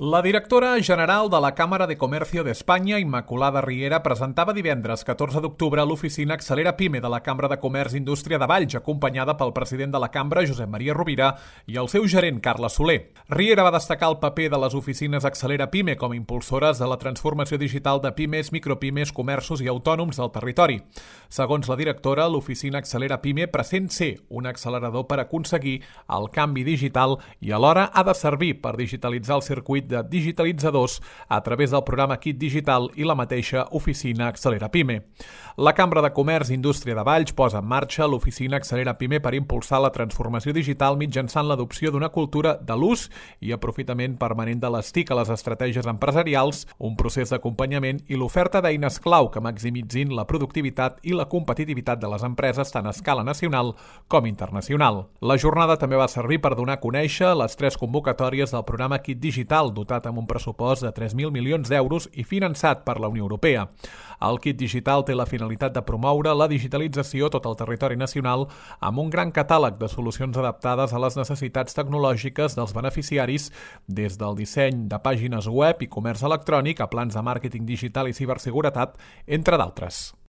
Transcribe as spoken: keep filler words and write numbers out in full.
La directora general de la Cámara de Comercio d'Espanya, Immaculada Riera, presentava divendres catorze d'octubre a l'oficina Accelera Pime de la Cambra de Comerç i Indústria de Valls, acompanyada pel president de la Cambra, Josep Maria Rovira, i el seu gerent, Carles Soler. Riera va destacar el paper de les oficines Accelera Pime com a impulsores de la transformació digital de pimes, micropimes, comerços i autònoms del territori. Segons la directora, l'oficina Accelera Pime present ser un accelerador per aconseguir el canvi digital i alhora ha de servir per digitalitzar el circuit de digitalitzadors a través del programa Kit Digital i la mateixa oficina Accelera Pime. La Cambra de Comerç i Indústria de Valls posa en marxa l'oficina Accelera Pime per impulsar la transformació digital mitjançant l'adopció d'una cultura de l'ús i aprofitament permanent de les T I C a les estratègies empresarials, un procés d'acompanyament i l'oferta d'eines clau que maximitzin la productivitat i la competitivitat de les empreses tant a escala nacional com internacional. La jornada també va servir per donar a conèixer les tres convocatòries del programa Kit Digital, dotat amb un pressupost de tres mil milions d'euros i finançat per la Unió Europea. El Kit Digital té la finalitat de promoure la digitalització a tot el territori nacional amb un gran catàleg de solucions adaptades a les necessitats tecnològiques dels beneficiaris, des del disseny de pàgines web i comerç electrònic a plans de màrqueting digital i ciberseguretat, entre d'altres.